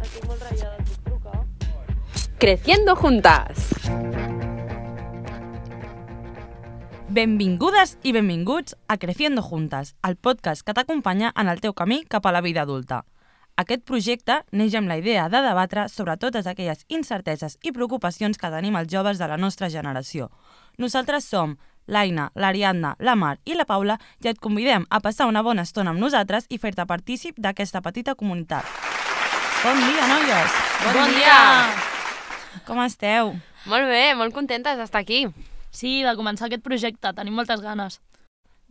Estic molt ratllada, et puc trucar? Creciendo juntas. Benvingudes i benvinguts a Creciendo Juntas, el podcast que t'acompanya en el teu camí cap a la vida adulta. Aquest projecte neix amb la idea de debatre sobre totes aquelles incerteses i preocupacions que tenim els joves de la nostra generació. Nosaltres som l'Aina, l'Ariadna, la Mar i la Paula i et convidem a passar una bona estona amb nosaltres i fer-te partícip d'aquesta petita comunitat. Bon dia, noies! Bon dia! Com esteu? Molt bé, molt contentes d'estar aquí. Sí, de començar aquest projecte, tenim moltes ganes.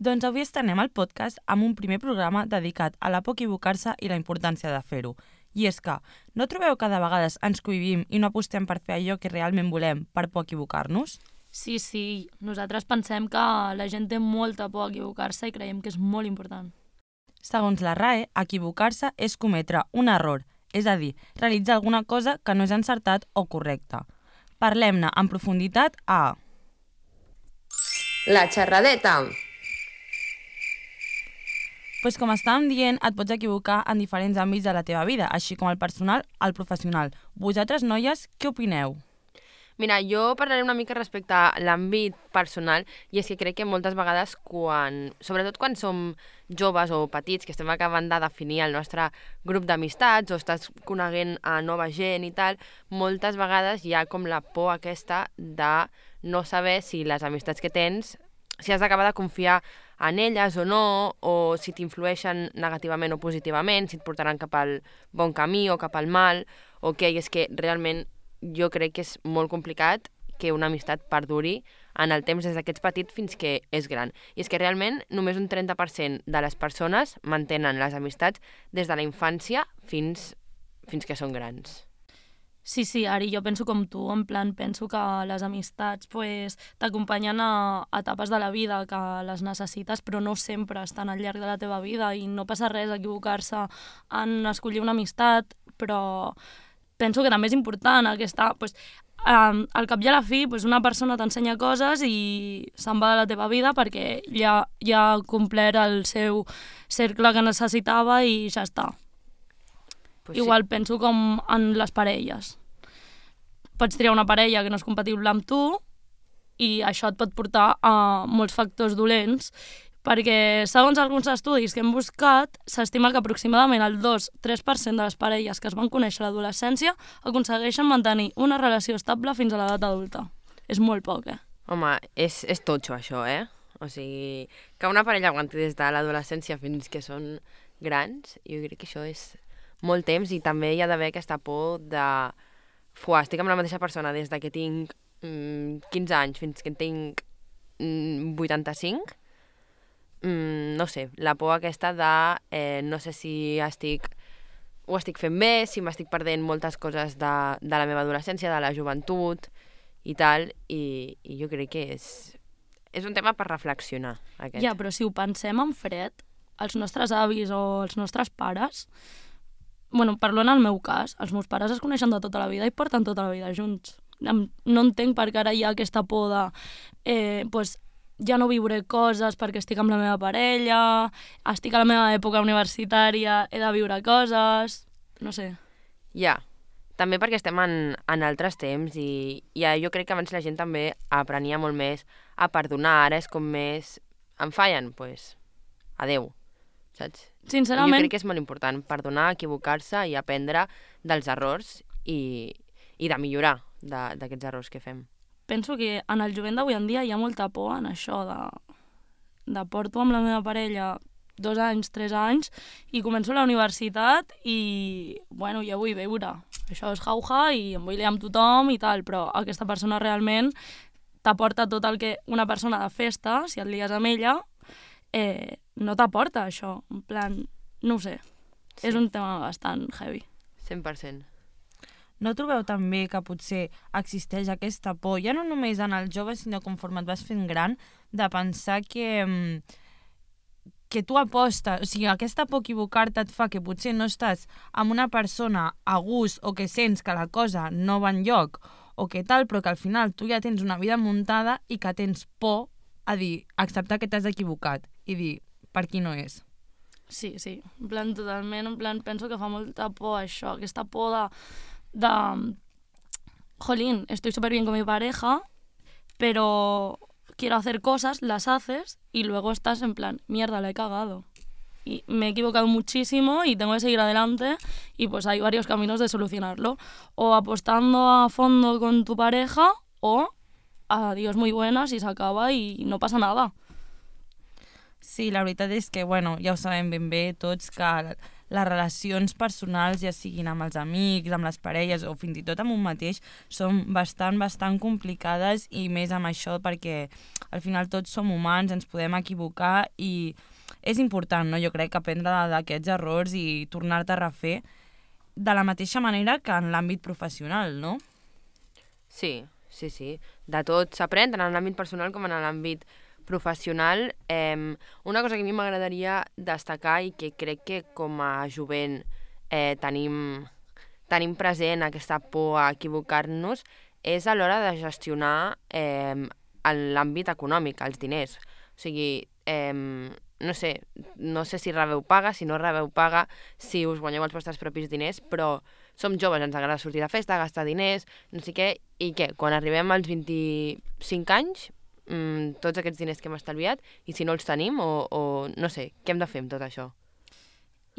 Doncs avui estrenem el podcast amb un primer programa dedicat a la por equivocar-se i la importància de fer-ho. I és que, no trobeu que de vegades ens cohibim i no apostem per fer allò que realment volem per por equivocar-nos? Sí, nosaltres pensem que la gent té molta por a equivocar-se i creiem que és molt important. Segons la RAE, equivocar-se és cometre un error, és a dir, realitzar alguna cosa que no és encertat o correcta. Parlem-ne en profunditat a... La xerradeta. Pues com estàvem dient, et pots equivocar en diferents àmbits de la teva vida, així com el personal, el professional. Vosaltres, noies, què opineu? Mira, jo parlaré una mica respecte a l'àmbit personal i és que crec que moltes vegades, sobretot quan som joves o petits, que estem acabant de definir el nostre grup d'amistats o estàs coneguent a nova gent i tal, moltes vegades hi ha com la por aquesta de no saber si les amistats que tens, si has d'acabar de confiar en elles o no, o si t'influeixen negativament o positivament, si et portaran cap al bon camí o cap al mal, o què, i és que realment jo crec que és molt complicat que una amistat perduri en el temps des d'aquests petits fins que és gran. I és que realment només un 30% de les persones mantenen les amistats des de la infància fins que són grans. Sí, Ari, jo penso com tu, en plan, penso que les amistats t'acompanyen a etapes de la vida que les necessites, però no sempre estan al llarg de la teva vida i no passa res equivocar-se en escollir una amistat, però penso que també és important aquesta... al cap i a la fi, una persona t'ensenya coses i se'n va de la teva vida perquè ja ha complert el seu cercle que necessitava i ja està. Igual penso com en les parelles. Pots triar una parella que no és compatible amb tu i això et pot portar a molts factors dolents perquè, segons alguns estudis que hem buscat, s'estima que aproximadament el 2-3% de les parelles que es van conèixer a l'adolescència aconsegueixen mantenir una relació estable fins a l'edat adulta. És molt poc, Home, és totxo això, O sigui, que una parella aguanti des de l'adolescència fins que són grans, jo crec que això és molt temps i també hi ha d'haver aquesta por de... estic amb la mateixa persona des que tinc 15 anys fins que en tinc 85. No sé, la por aquesta de no sé si ho estic fent bé, si m'estic perdent moltes coses de la meva adolescència, de la joventut i tal, i jo crec que és un tema per reflexionar, aquest. Ja, però si ho pensem en fred, els nostres avis o els nostres pares... parlo en el meu cas, els meus pares es coneixen de tota la vida i porten tota la vida junts. No entenc per què ara hi ha aquesta por de ja no viuré coses perquè estic amb la meva parella, estic a la meva època universitària, he de viure coses... no sé. Ja, també perquè estem en altres temps i jo crec que abans la gent també aprenia molt més a perdonar, ara és com més... em fallen, doncs adeu, saps? Sincerament... Jo crec que és molt important perdonar, equivocar-se i aprendre dels errors i de millorar d'aquests errors que fem. Penso que en el jovent d'avui en dia hi ha molta por en això de porto amb la meva parella 2 anys, 3 anys i començo la universitat i, ja vull viure. Això és jauja i em vull liar amb tothom i tal, però aquesta persona realment t'aporta tot el que una persona de festa, si et lies amb ella, no t'aporta això, en plan, no ho sé, sí. És un tema bastant heavy. 100%. No trobeu també que potser existeix aquesta por, ja no només en els joves, sinó conforme et vas fent gran, de pensar que tu apostes, o sigui, aquesta por equivocar-te et fa que potser no estàs amb una persona a gust o que sents que la cosa no va enlloc o que tal, però que al final tu ja tens una vida muntada i que tens por a dir, acceptar que t'has equivocat i dir, per aquí no és. Sí, en plan, totalment, en plan, penso que fa molta por això, aquesta por de jolín, estoy súper bien con mi pareja, pero quiero hacer cosas, las haces y luego estás en plan, mierda, la he cagado. Y me he equivocado muchísimo y tengo que seguir adelante y pues hay varios caminos de solucionarlo. O apostando a fondo con tu pareja o adiós muy buenas y se acaba y no pasa nada. Sí, la veritat és que, bueno, ja ho sabem ben bé tots, que les relacions personals, ja siguin amb els amics, amb les parelles o fins i tot amb un mateix, són bastant complicades i més amb això perquè al final tots som humans, ens podem equivocar i és important, no? Jo crec, aprendre d'aquests errors i tornar-te a refer de la mateixa manera que en l'àmbit professional, no? Sí. De tot s'aprèn, tant en l'àmbit personal com en l'àmbit professional. Una cosa que a mi m'agradaria destacar i que crec que com a jovent tenim present aquesta por a equivocar-nos és a l'hora de gestionar l'àmbit econòmic, els diners. O sigui, no sé si rebeu paga, si no rebeu paga, si us guanyeu els vostres propis diners, però som joves, ens agrada sortir de festa, gastar diners, no sé què, i què? Quan arribem als 25 anys, tots aquests diners que hem estalviat, i si no els tenim, o no sé, què hem de fer amb tot això?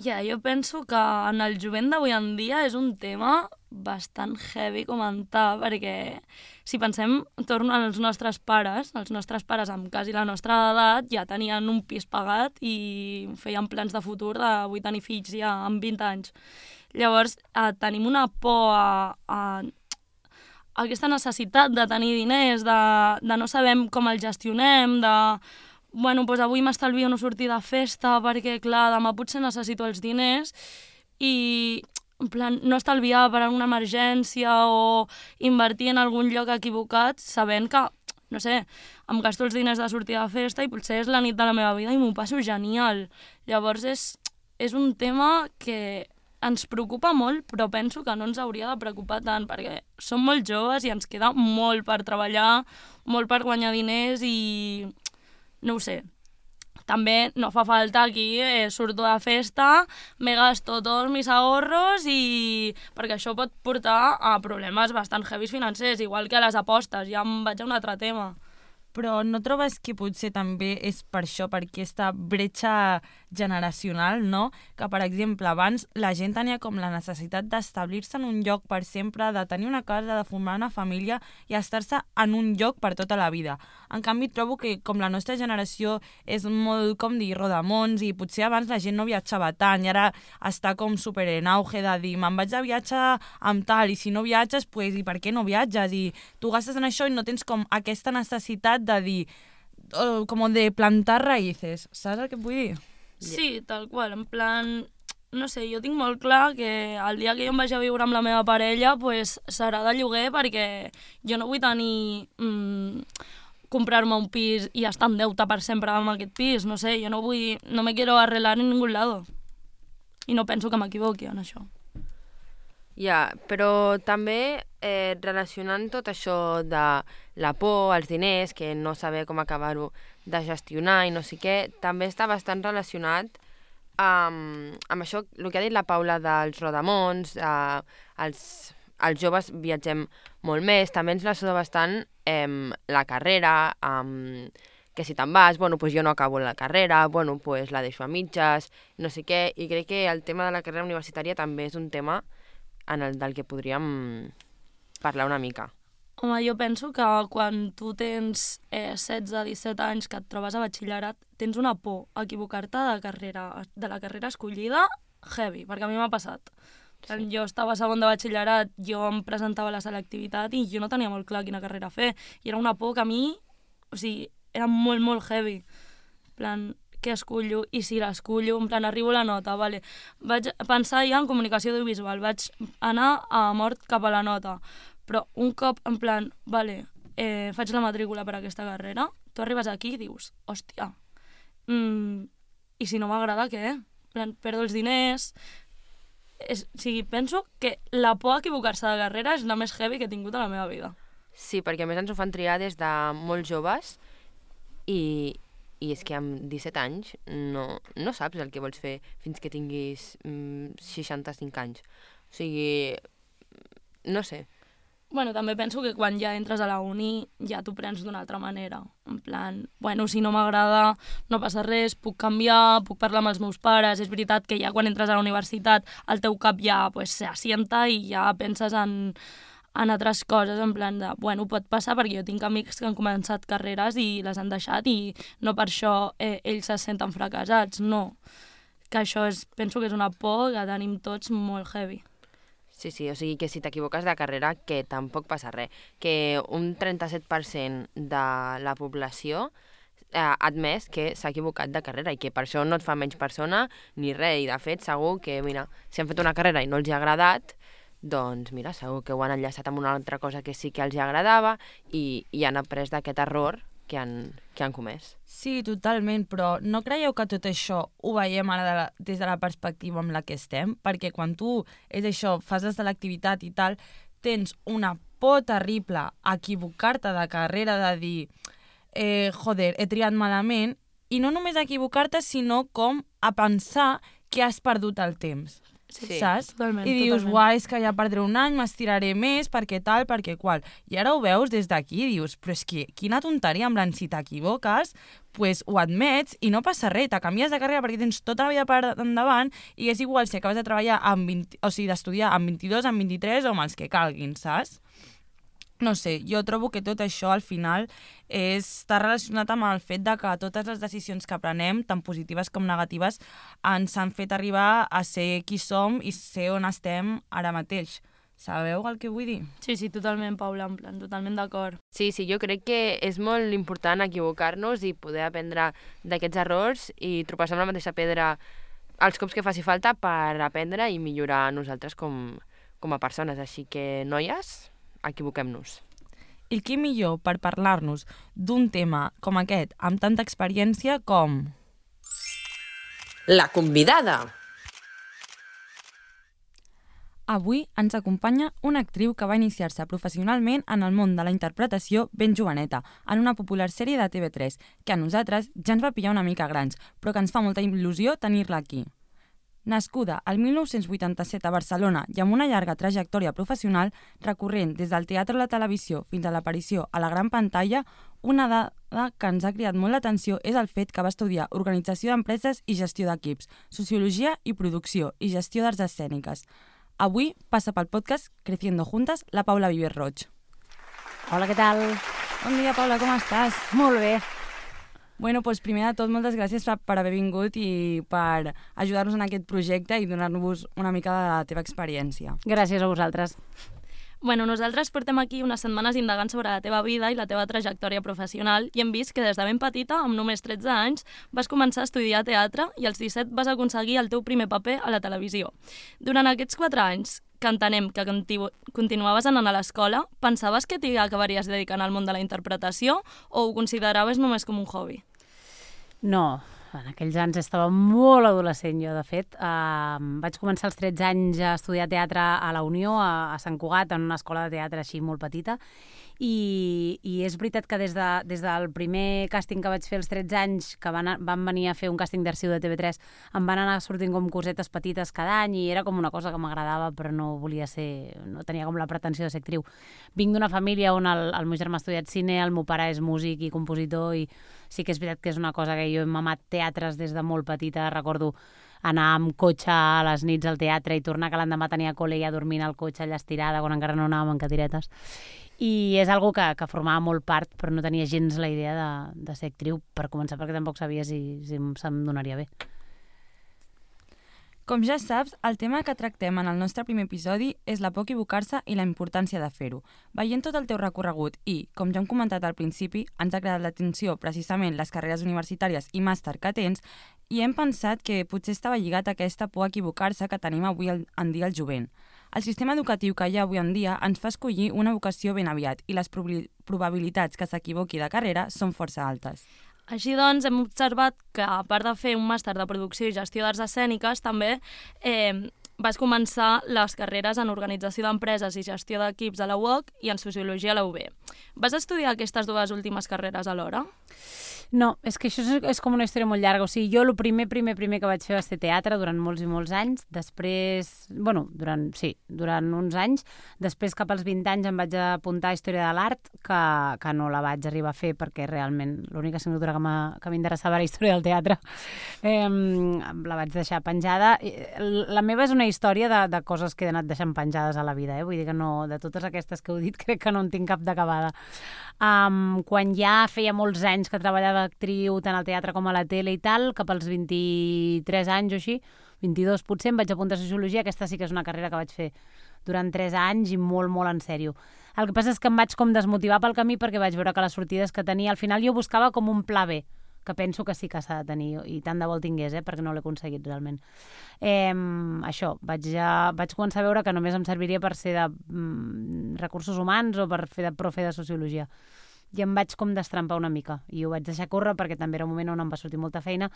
Jo penso que en el jovent d'avui en dia és un tema bastant heavy comentar, perquè si pensem, torno als nostres pares amb quasi la nostra edat ja tenien un pis pagat i feien plans de futur de vull tenir fills ja amb 20 anys. Llavors, tenim una por a aquesta necessitat de tenir diners, de no sabem com els gestionem, bueno, doncs avui m'estalvio no sortir de festa perquè, clar, demà potser necessito els diners i, en plan, no estalviar per a una emergència o invertir en algun lloc equivocat sabent que, no sé, em gasto els diners de sortir de festa i potser és la nit de la meva vida i m'ho passo genial. Llavors és un tema que ens preocupa molt, però penso que no ens hauria de preocupar tant, perquè som molt joves i ens queda molt per treballar, molt per guanyar diners i no ho sé. També no fa falta aquí, surto de festa, me gasto tots mis ahorros perquè això pot portar a problemes bastant heavies financers, igual que a les apostes, ja em vaig a un altre tema. Però no trobes que potser també és per això, per aquesta bretxa generacional, no? Que, per exemple, abans la gent tenia com la necessitat d'establir-se en un lloc per sempre, de tenir una casa, de formar una família i estar-se en un lloc per tota la vida. En canvi, trobo que com la nostra generació és molt, com dir, rodamons i potser abans la gent no viatjava tant i ara està com super en auge de dir me'n vaig de viatge amb tal i si no viatges, pues, i per què no viatges? I tu gastes en això i no tens com aquesta necessitat de dir, com de plantar raïces, saps el que et vull dir? Sí, tal qual, en plan, no sé, jo tinc molt clar que el dia que jo em vagi a viure amb la meva parella pues, serà de lloguer perquè jo no vull tenir comprar-me un pis i estar en deute per sempre amb aquest pis, no sé, jo no me quiero arreglar en ningún lado i no penso que m'equivoqui en això. Ja, però també relacionant tot això de la por, els diners, que no saber com acabar-ho de gestionar i no sé què, també està bastant relacionat amb això, el que ha dit la Paula dels rodamons, els joves viatgem molt més, també ens la suda bastant la carrera, que si te'n vas, bueno, pues jo no acabo la carrera, bueno, pues la deixo a mitges, no sé què, i crec que el tema de la carrera universitària també és un tema del que podríem parlar una mica. Home, jo penso que quan tu tens 16-17 anys que et trobes a batxillerat, tens una por a equivocar-te de la carrera escollida heavy, perquè a mi m'ha passat. Sí. Jo estava a segon de batxillerat, jo em presentava a la selectivitat i jo no tenia molt clar quina carrera fer. I era una por que a mi, o sigui, era molt, molt heavy. En plan, què escollo i si l'escollo, en plan, arribo a la nota, vale. Vaig pensar ja en comunicació audiovisual, vaig anar a mort cap a la nota, però un cop, en plan, vale, faig la matrícula per a aquesta carrera, tu arribes aquí i dius, hòstia, i si no m'agrada, què? En plan, perdo els diners. O sigui, penso que la por a equivocar-se de carrera és la més heavy que he tingut a la meva vida. Sí, perquè a més ens ho fan triar des de molt joves i I és que amb 17 anys no saps el que vols fer fins que tinguis 65 anys. O sigui, no sé. Bueno, també penso que quan ja entres a la uni ja t'ho prens d'una altra manera. En plan, bueno, si no m'agrada, no passa res, puc canviar, puc parlar amb els meus pares. És veritat que ja quan entres a la universitat el teu cap ja s'assienta i ja penses en altres coses, en plan de, bueno, pot passar perquè jo tinc amics que han començat carreres i les han deixat i no per això ells se senten fracassats, no. Que això penso que és una por que tenim tots molt heavy. Sí, o sigui que si t'equivoques de carrera, que tampoc passa res. Que un 37% de la població ha admès que s'ha equivocat de carrera i que per això no et fa menys persona ni res. I de fet, segur que, mira, si han fet una carrera i no els ha agradat, doncs mira, segur que ho han enllaçat amb una altra cosa que sí que els agradava i han après d'aquest error que han comès. Sí, totalment, però no creieu que tot això ho veiem ara des de la perspectiva amb la que estem? Perquè quan tu, és això, fas la selectivitat i tal, tens una por terrible a equivocar-te de carrera, de dir, joder, he triat malament, i no només a equivocar-te, sinó com a pensar que has perdut el temps. Sí, saps? Totalment, I dius, totalment. guai, és que ja perdré un any, m'estiraré més, perquè tal, perquè qual. I ara ho veus des d'aquí i dius, però és que quina tonteria, en plan, si t'equivoques, pues ho admets i no passa res, te canvies de carrera perquè tens tota la vida per endavant i és igual si acabes de treballar d'estudiar amb 22, amb 23 o amb els que calguin, saps? No sé, jo trobo que tot això al final està relacionat amb el fet de que totes les decisions que prenem, tant positives com negatives, ens han fet arribar a ser qui som i ser on estem ara mateix. Sabeu el que vull dir? Sí, totalment, Paula, en plan, totalment d'acord. Sí, jo crec que és molt important equivocar-nos i poder aprendre d'aquests errors i trobar-se amb la mateixa pedra els cops que faci falta per aprendre i millorar nosaltres com a persones. Així que, noies, equivoquem-nos. I qui millor per parlar-nos d'un tema com aquest, amb tanta experiència com... La convidada. Avui ens acompanya una actriu que va iniciar-se professionalment en el món de la interpretació ben joveneta, en una popular sèrie de TV3, que a nosaltres ja ens va pillar una mica grans, però que ens fa molta il·lusió tenir-la aquí. Nascuda el 1987 a Barcelona i amb una llarga trajectòria professional, recorrent des del teatre a la televisió fins a l'aparició a la gran pantalla, una dada que ens ha cridat molt l'atenció és el fet que va estudiar Organització d'Empreses i Gestió d'Equips, Sociologia i Producció i Gestió d'Arts Escèniques. Avui passa pel podcast Creciendo Juntas la Paula Vives Roig. Hola, què tal? Bon dia, Paula, com estàs? Molt bé. Bueno, doncs primer de tot, moltes gràcies per haver vingut i per ajudar-nos en aquest projecte i donar-nos una mica de la teva experiència. Gràcies a vosaltres. Bueno, nosaltres portem aquí unes setmanes indagant sobre la teva vida i la teva trajectòria professional i hem vist que des de ben petita, amb només 13 anys, vas començar a estudiar teatre i als 17 vas aconseguir el teu primer paper a la televisió. Durant aquests 4 anys, que entenem que continuaves anant a l'escola, pensaves que t'hi acabaries dedicant al món de la interpretació o ho consideraves només com un hobby? No, en aquells anys estava molt adolescent jo, de fet. Vaig començar als 13 anys a estudiar teatre a la Unió, a Sant Cugat, en una escola de teatre així molt petita. I és veritat que des del primer càsting que vaig fer als 13 anys, que van venir a fer un càsting d'arxiu de TV3, em van anar sortint com cosetes petites cada any i era com una cosa que m'agradava, però no volia ser, no tenia com la pretensió de ser actriu. Vinc d'una família on el meu germà ha estudiat cine, el meu pare és músic i compositor i sí que és veritat que és una cosa que jo he mamat teatres des de molt petita. Recordo anar amb cotxe a les nits al teatre i tornar que l'endemà tenia col·le i a dormir al cotxe allà estirada quan encara no anàvem en cadiretes. I és algo que formava molt part, però no tenia gens la idea de ser actriu, per començar, perquè tampoc sabia si se'm donaria bé. Com ja saps, el tema que tractem en el nostre primer episodi és la por a equivocar-se i la importància de fer-ho. Veient tot el teu recorregut i, com ja hem comentat al principi, ens ha cridat l'atenció precisament les carreres universitàries i màster que tens i hem pensat que potser estava lligat a aquesta por a equivocar-se que tenim avui en dia el jovent. El sistema educatiu que hi ha avui en dia ens fa escollir una vocació ben aviat i les probabilitats que s'equivoqui de carrera són força altes. Així doncs, hem observat que, a part de fer un màster de producció i gestió d'arts escèniques, també vas començar les carreres en organització d'empreses i gestió d'equips a la UOC i en sociologia a la UB. Vas estudiar aquestes dues últimes carreres alhora? No, és que això és com una història molt llarga. O sigui, jo el primer que vaig fer va ser teatre durant molts i molts anys. Després, durant uns anys. Després, cap als 20 anys, em vaig apuntar a Història de l'Art, que no la vaig arribar a fer perquè realment l'única assignatura que m'interessava era Història del Teatre. La vaig deixar penjada. La meva és una història de coses que he anat deixant penjades a la vida. Vull dir que no, de totes aquestes que heu dit, crec que no en tinc cap d'acabada. Quan ja feia molts anys que treballava actriu tant al teatre com a la tele i tal, cap als 23 anys o així, 22 potser, em vaig apuntar a Sociologia. Aquesta sí que és una carrera que vaig fer durant 3 anys i molt, molt en sèrio. El que passa és que em vaig com desmotivar pel camí perquè vaig veure que les sortides que tenia, al final jo buscava com un pla B, que penso que sí que s'ha de tenir, i tant de bo el tingués, perquè no l'he aconseguit realment. Això, vaig començar a veure que només em serviria per ser de recursos humans o per fer de profe de Sociologia. I em vaig com destrampar una mica, i ho vaig deixar córrer perquè també era un moment on em va sortir molta feina,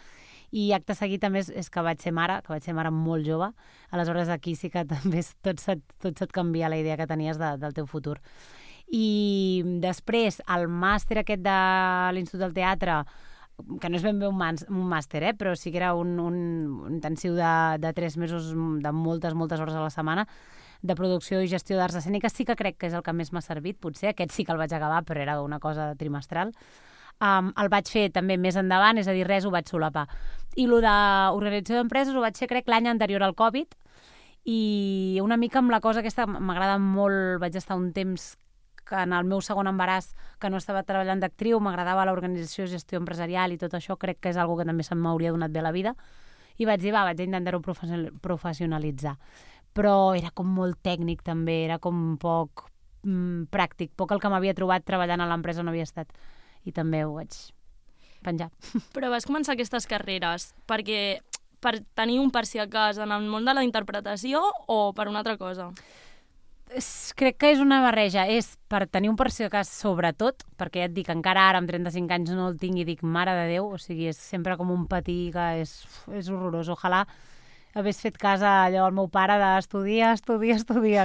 i acte seguit també és que vaig ser mare molt jove. Aleshores aquí sí que també tot se't canvia la idea que tenies del teu futur. I després el màster aquest de l'Institut del Teatre, que no és ben bé un màster, però sí que era un intensiu de 3 mesos de moltes hores a la setmana, de producció i gestió d'arts escèniques, sí que crec que és el que més m'ha servit, potser. Aquest sí que el vaig acabar, però era una cosa trimestral. El vaig fer també més endavant, és a dir, res ho vaig solapar. I el d'organització d'empreses ho vaig fer, crec, l'any anterior al Covid, i una mica amb la cosa aquesta m'agrada molt. Vaig estar un temps que en el meu segon embaràs, que no estava treballant d'actriu, m'agradava l'organització, gestió empresarial i tot això, crec que és una que també se m'hauria donat bé a la vida, i vaig dir, vaig intentar-ho professionalitzar. Però era com molt tècnic també, era com poc pràctic, poc el que m'havia trobat treballant a l'empresa on havia estat, i també ho vaig penjar. Però vas començar aquestes carreres per tenir un per si a cas en el món de la interpretació o per una altra cosa? Crec que és una barreja, és per tenir un per si a cas sobretot, perquè ja et dic, encara ara amb 35 anys no el tinc i dic, mare de Déu, o sigui, és sempre com un patir que és horrorós. Ojalà hagués fet cas allò al meu pare d'estudiar,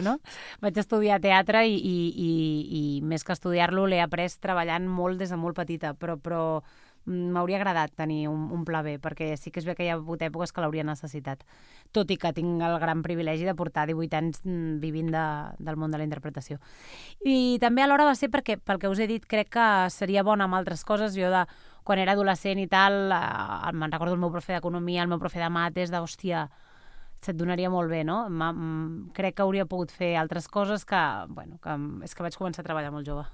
no? Vaig estudiar teatre i més que estudiar-lo l'he après treballant molt des de molt petita, però m'hauria agradat tenir un pla B, perquè sí que és bé que hi ha hagut èpoques que l'hauria necessitat, tot i que tinc el gran privilegi de portar 18 anys vivint del món de la interpretació. I també alhora va ser perquè, pel que us he dit, crec que seria bona amb altres coses. Jo quan era adolescent i tal, me'n recordo el meu profe d'economia, el meu profe de mates, d'hòstia, se't donaria molt bé, no? Crec que hauria pogut fer altres coses que és que vaig començar a treballar molt jove.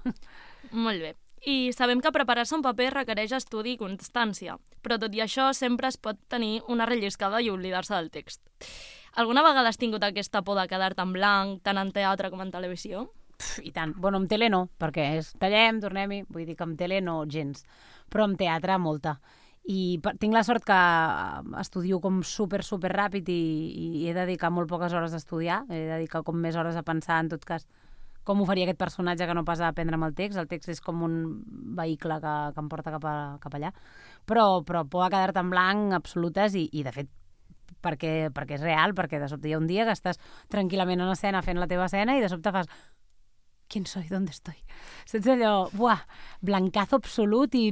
Molt bé. I sabem que preparar-se un paper requereix estudi i constància, però tot i això sempre es pot tenir una relliscada i oblidar-se del text. Alguna vegada has tingut aquesta por de quedar-te en blanc, tant en teatre com en televisió? I tant. Bueno, amb tele no, perquè tallem, tornem-hi, vull dir que amb tele no gens, però amb teatre molta. I tinc la sort que estudio com super ràpid i he de dedicar molt poques hores a estudiar, he de dedicar com més hores a pensar, en tot cas, com ho faria aquest personatge que no pas a aprendre'm el text. El text és com un vehicle que em porta cap allà. Però por a quedar-te en blanc absolutes i de fet, perquè és real, perquè de sobte hi ha un dia que estàs tranquil·lament en escena fent la teva escena i de sobte fas ¿quién soy? ¿Dónde estoy? Saps allò? Blancazo absolut i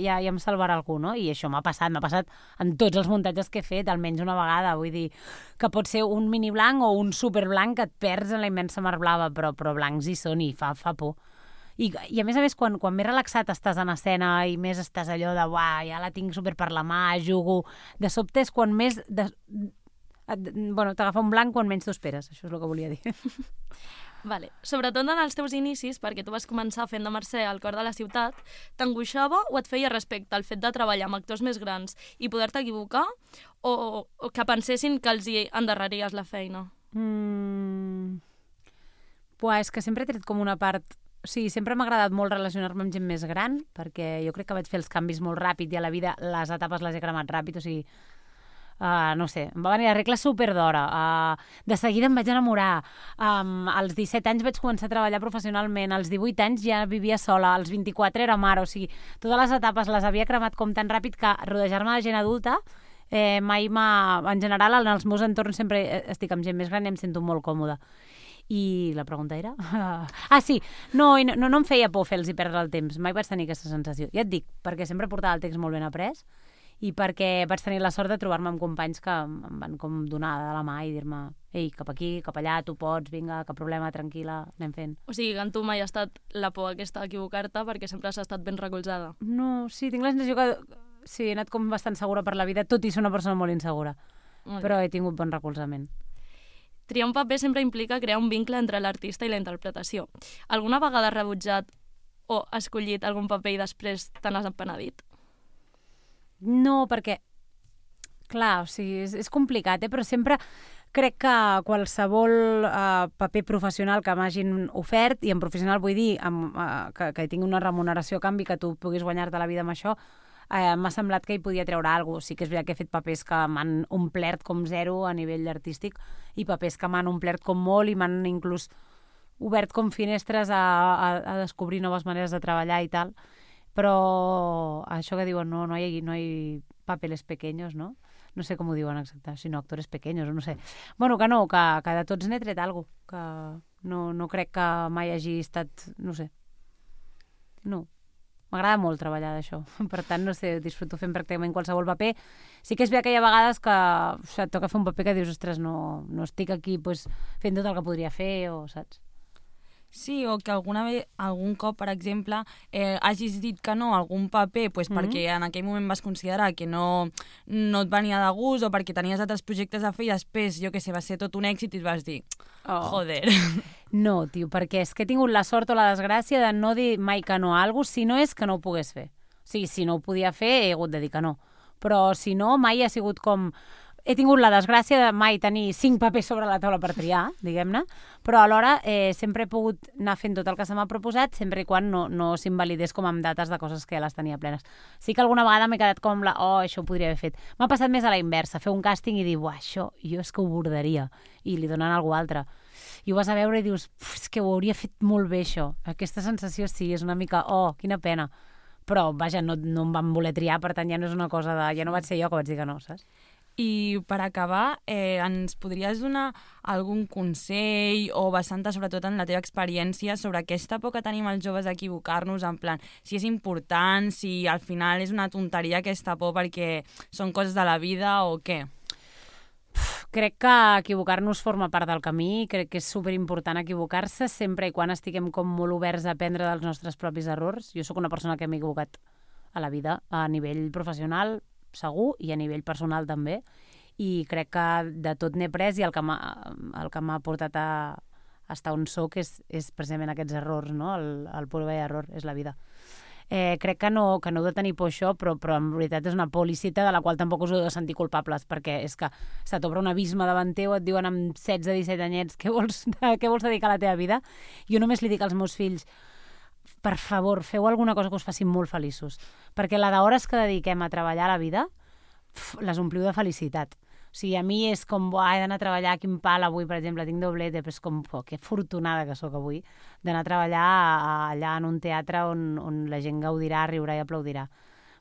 ja em salvarà algú, no? I això m'ha passat en tots els muntatges que he fet, almenys una vegada. Vull dir que pot ser un mini blanc o un super blanc que et perds en la immensa mar blava, però blancs hi són i fa por. I a més, quan més relaxat estàs en escena i més estàs allò de ja la tinc super per la mà, jugo, de sobte és quan més t'agafa un blanc quan menys t'ho esperes. Això és el que volia dir. Vale. Sobretot en els teus inicis, perquè tu vas començar fent de Mercè al cor de la ciutat, t'angoixava o et feia respecte al fet de treballar amb actors més grans i poder-te equivocar o que pensessin que els hi endarreries la feina? És que sempre he tret com una part... O sigui, sempre m'ha agradat molt relacionar-me amb gent més gran, perquè jo crec que vaig fer els canvis molt ràpid i a la vida les etapes les he cremat ràpid, o sigui... no sé, em va venir la regla super d'hora, de seguida em vaig enamorar, als 17 anys vaig començar a treballar professionalment, als 18 anys ja vivia sola, als 24 era mare, o sigui, totes les etapes les havia cremat com tan ràpid que rodejar-me de gent adulta mai en general en els meus entorns sempre estic amb gent més gran i em sento molt còmoda. I la pregunta era... sí, no em feia por fer-los perdre el temps, mai vaig tenir aquesta sensació. Ja et dic, perquè sempre portava el text molt ben après i perquè vaig tenir la sort de trobar-me amb companys que em van com donar de la mà i dir-me ei, cap aquí, cap allà, tu pots, vinga, cap problema, tranquil·la, anem fent. O sigui, que en tu mai ha estat la por aquesta d'equivocar-te perquè sempre has estat ben recolzada. No, sí, tinc la sensació que sí, he anat com bastant segura per la vida, tot i ser una persona molt insegura, però he tingut bon recolzament. Triar un paper sempre implica crear un vincle entre l'artista i la interpretació. Alguna vegada has rebutjat o escollit algun paper i després te n'has penedit? No, perquè, clar, o sigui, és complicat, però sempre crec que qualsevol paper professional que m'hagin ofert, i en professional vull dir que tingui una remuneració a canvi, que tu puguis guanyar-te la vida amb això, m'ha semblat que hi podia treure alguna cosa. Sí que és veritat que he fet papers que m'han omplert com zero a nivell artístic i papers que m'han omplert com molt i m'han inclús obert com finestres a descobrir noves maneres de treballar i tal. Però això que diuen, no hay papeles pequeños, no? No sé com ho diuen exacte, sinó actores pequeños, no sé. Bueno, que no, que de tots n'he tret alguna cosa, que no crec que mai hagi estat, no sé. No. M'agrada molt treballar d'això. Per tant, no sé, disfruto fent pràcticament qualsevol paper. Sí que és veritat que hi ha vegades que et toca fer un paper que dius, ostres, no estic aquí pues, fent tot el que podria fer, o saps? Sí, o que algun cop, per exemple, hagis dit que no a algun paper pues, perquè en aquell moment vas considerar que no et venia de gust o perquè tenies altres projectes a fer i després, jo què sé, va ser tot un èxit i et vas dir, joder. No, tio, perquè és que he tingut la sort o la desgràcia de no dir mai que no a alguna cosa si no és que no ho pogués fer. O sigui, si no ho podia fer, he hagut de dir que no. Però si no, mai ha sigut com... He tingut la desgràcia de mai tenir 5 papers sobre la taula per triar, diguem-ne, però alhora sempre he pogut anar fent tot el que se m'ha proposat, sempre i quan no s'invalidés com amb dates de coses que ja les tenia plenes. Sí que alguna vegada m'he quedat com això ho podria haver fet. M'ha passat més a la inversa, fer un càsting i dir, això jo és que ho bordaria, i li donen a algú altre. I ho vas a veure i dius, és que ho hauria fet molt bé això. Aquesta sensació sí, és una mica, quina pena. Però, vaja, no em van voler triar, per tant ja no és una cosa de... Ja no vaig ser jo que vaig dir que no, saps? I per acabar, ens podries donar algun consell o basant-te sobretot en la teva experiència sobre aquesta por que tenim els joves a equivocar-nos, en plan, si és important, si al final és una tonteria aquesta por perquè són coses de la vida o què? Crec que equivocar-nos forma part del camí, crec que és superimportant equivocar-se sempre i quan estiguem com molt oberts a aprendre dels nostres propis errors. Jo sóc una persona que m'he equivocat a la vida, a nivell professional, segur, i a nivell personal també, i crec que de tot n'he après i el que m'ha portat a estar on soc és precisament aquests errors, no? El prova i error és la vida. Crec que no heu de tenir por això, però en veritat és una por lícita de la qual tampoc us heu de sentir culpables, perquè és que se t'obre un abisme davant teu, et diuen amb 16-17 anyets què vols dedicar a la teva vida. Jo només li dic als meus fills, per favor, feu alguna cosa que us faci molt feliços, perquè la d'hores que dediquem a treballar a la vida les ompliu de felicitat. O sigui, a mi és com, he d'anar a treballar, quin pal avui, per exemple, tinc doblete, però és com, que afortunada que sóc avui, d'anar a treballar allà en un teatre on la gent gaudirà, riurà i aplaudirà.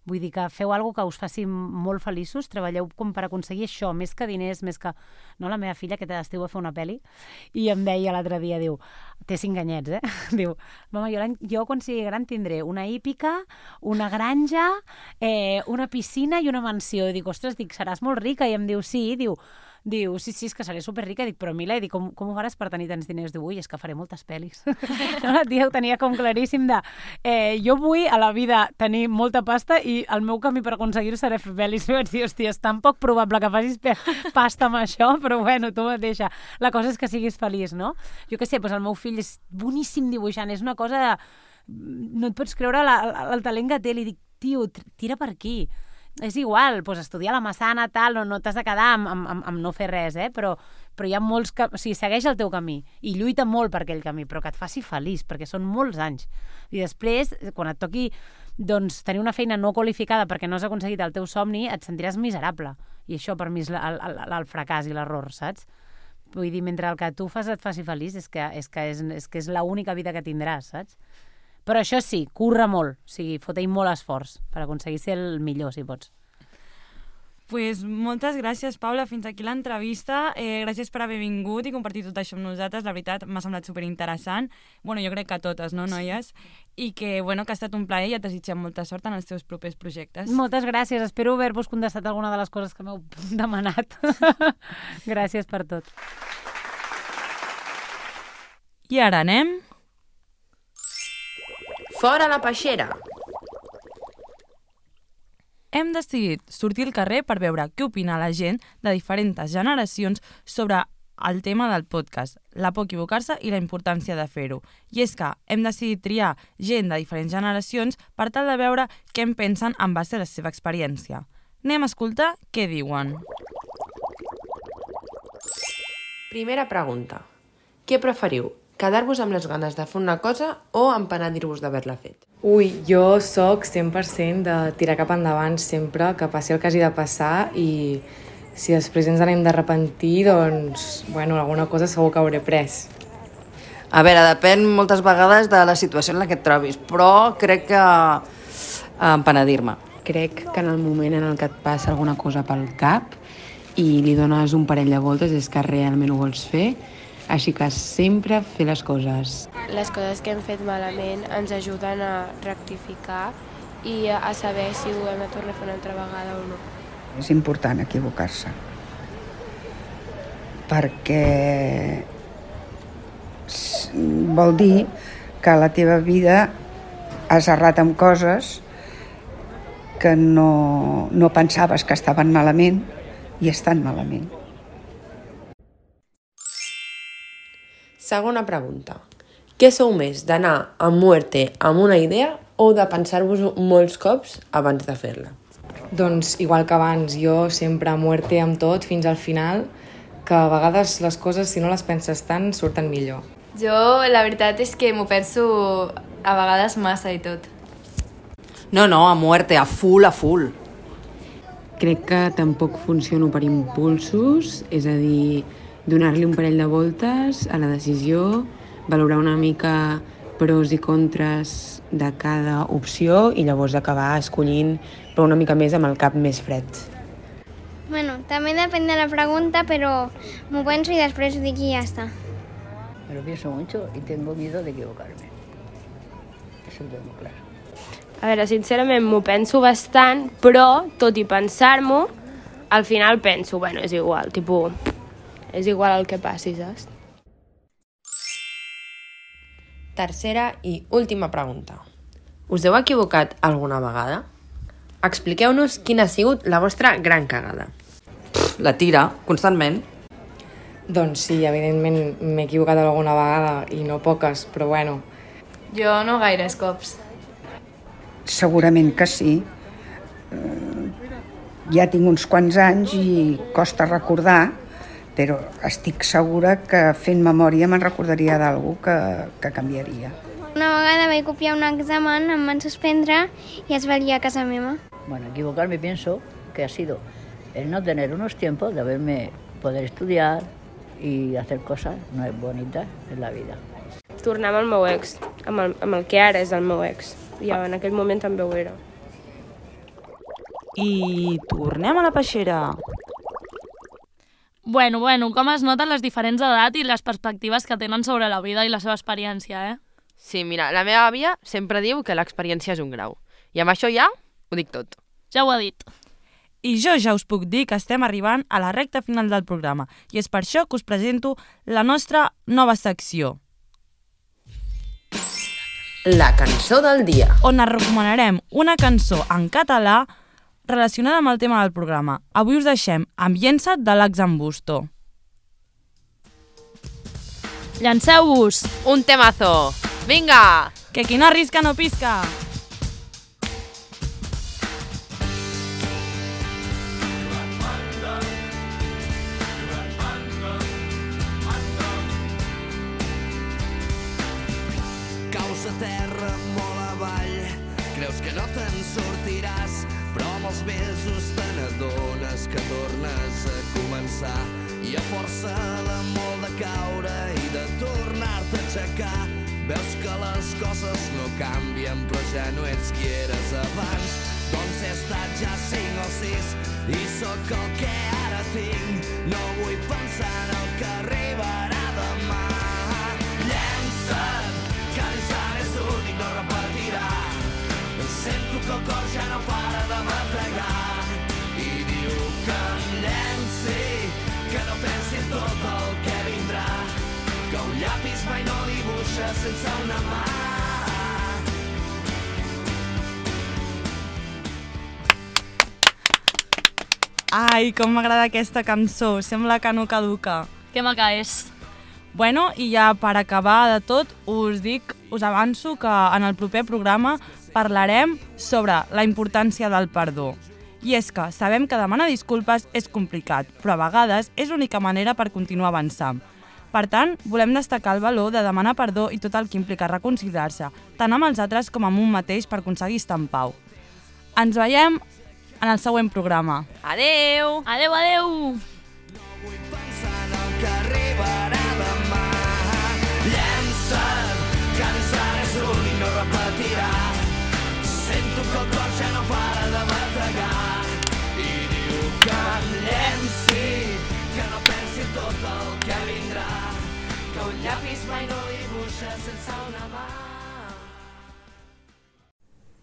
Vull dir que feu alguna que us faci molt feliços, treballeu com per aconseguir això, més que diners, més que... No, la meva filla, aquest estiu va fer una pel·li, i em deia l'altre dia, diu, té 5 anyets, diu, mama, jo quan sigui gran tindré una hípica, una granja, una piscina i una mansió. I dic, ostres, seràs molt rica? I em diu, sí, diu, sí, és que seré superrica. Dic, però Mila, com ho faràs per tenir tants diners? Diu, és que faré moltes pel·lis. No, la tia ho tenia com claríssim de... jo vull a la vida tenir molta pasta i el meu camí per aconseguir-ho serà fer pel·lis. I vaig dir, hòstia, és tan poc probable que facis pasta amb això, però bueno, tu mateixa. La cosa és que siguis feliç, no? Jo què sé, doncs el meu fill és boníssim dibuixant, és una cosa de... No et pots creure el talent que té. Li dic, tio, tira per aquí. És igual, doncs estudiar a la Massana, tal, no t'has de quedar amb no fer res, però hi ha molts que... O sigui, segueix el teu camí i lluita molt per aquell camí, però que et faci feliç, perquè són molts anys. I després, quan et toqui doncs, tenir una feina no qualificada perquè no has aconseguit el teu somni, et sentiràs miserable. I això per mi és el fracàs i l'error, saps? Vull dir, mentre el que tu fas et faci feliç és que és l'única vida que tindràs, saps? Però això sí, curra molt, o sigui, fot-hi molt esforç per aconseguir ser el millor, si pots. Pues moltes gràcies, Paula. Fins aquí l'entrevista. Gràcies per haver vingut i compartir tot això amb nosaltres. La veritat, m'ha semblat superinteressant. Bueno, jo crec que a totes, no, noies? I que, bueno, que ha estat un plaer i et desitgem molta sort en els teus propers projectes. Moltes gràcies. Espero haver-vos contestat alguna de les coses que m'heu demanat. Gràcies per tot. I ara anem... Fora la peixera! Hem decidit sortir al carrer per veure què opina la gent de diferents generacions sobre el tema del podcast, la por a equivocar-se i la importància de fer-ho. I és que hem decidit triar gent de diferents generacions per tal de veure què en pensen en base a la seva experiència. Anem a escoltar què diuen. Primera pregunta. Què preferiu? Quedar-vos amb les ganes de fer una cosa o empenedir-vos d'haver-la fet? Ui, jo sóc 100% de tirar cap endavant sempre, que passi el que hagi de passar i si després ens n'hem d'arrepentir, doncs, bueno, alguna cosa segur que hauré pres. A veure, depèn moltes vegades de la situació en la que et trobis, però crec que empenedir-me. Crec que en el moment en el que et passa alguna cosa pel cap i li dones un parell de voltes és que realment ho vols fer, així que sempre fer les coses. Les coses que hem fet malament ens ajuden a rectificar i a saber si ho hem de tornar a fer una altra vegada o no. És important equivocar-se, perquè vol dir que a la teva vida has errat amb coses que no pensaves que estaven malament i estan malament. Segona pregunta. Què sou més, d'anar a muerte amb una idea o de pensar-vos molts cops abans de fer-la? Doncs, igual que abans, jo sempre a muerte amb tot fins al final, que a vegades les coses, si no les penses tant, surten millor. Jo, la veritat és que m'ho penso a vegades massa i tot. No, a muerte, a full, a full. Crec que tampoc funciono per impulsos, és a dir, donar-li un parell de voltes a la decisió, valorar una mica pros i contres de cada opció i llavors acabar escollint però una mica més amb el cap més fred. Bueno, també depèn de la pregunta, però m'ho penso i després ho dic i ja està. Me lo pienso mucho y tengo miedo de equivocarme. Eso lo tengo claro. A veure, sincerament m'ho penso bastant, però tot i pensar-m'ho, al final penso, bueno, és igual, tipus, és igual el que passi, saps? Tercera i última pregunta. Us heu equivocat alguna vegada? Expliqueu-nos quina ha sigut la vostra gran cagada. La tira, constantment. Doncs sí, evidentment m'he equivocat alguna vegada i no poques, però bueno. Jo no gaires cops. Segurament que sí. Ja tinc uns quants anys i costa recordar, però estic segura que fent memòria me'n recordaria d'algú que canviaria. Una vegada vaig copiar un examen, em van suspendre i es va liar a casa meva. Bueno, equivocarme pienso que ha sido el no tener unos tiempos de poder estudiar y hacer cosas no es bonitas en la vida. Tornar amb el meu ex, amb el que ara és el meu ex. I en aquell moment també ho era. I tornem a la peixera. Bueno, com es noten les diferents edats i les perspectives que tenen sobre la vida i la seva experiència, eh? Sí, mira, la meva àvia sempre diu que l'experiència és un grau. I amb això ja ho dic tot. Ja ho ha dit. I jo ja us puc dir que estem arribant a la recta final del programa i és per això que us presento la nostra nova secció. La cançó del dia. On us recomanarem una cançó en català relacionada amb el tema del programa. Avui us deixem Ambiensa't de l'Ax Ambusto. Llanceu-vos! Un temazo! Vinga! Que qui no arrisca no pisca! Caus a terra molt avall, creus que no te'n sortiràs, però amb els mesos te n'adones que tornes a començar i a força de molt de caure i de tornar-te a aixecar veus que les coses no canvien però ja no ets qui eres abans. Doncs he estat ja 5 o 6 i sóc el que ara tinc. No vull pensar en el que arribarà demà. Llença't, que l'ensant és únic, no repetirà. Sento que el cor ja no para de bategar i diu que em llenci, que no pensi en tot el que vindrà, que un llapis mai no dibuixa sense una mà. Ai, com m'agrada aquesta cançó, sembla que no caduca. Que maca és. Bueno, i ja per acabar de tot, us avanço que en el proper programa parlarem sobre la importància del perdó. I és que sabem que demanar disculpes és complicat, però a vegades és l'única manera per continuar avançant. Per tant, volem destacar el valor de demanar perdó i tot el que implica reconciliar-se, tant amb els altres com amb un mateix per aconseguir estar en pau. Ens veiem en el següent programa. Adeu! Adeu, adeu! No vull pensar en el que arribarà demà. Llença't, que l'ensant és únic, no repetirà. Sento que el cor ja no para de bategar i diu que em llenci, que no pensi en tot el que vindrà, que un llapis mai no dibuixa sense una mà.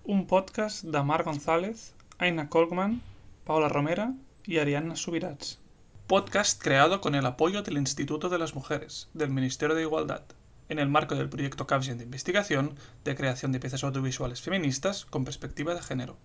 Un podcast de Marc González, Aina Colkman, Paula Romera y Ariadna Subirats. Podcast creado con el apoyo del Instituto de las Mujeres, del Ministerio de Igualdad, en el marco del proyecto Capgen de investigación de creación de piezas audiovisuales feministas con perspectiva de género.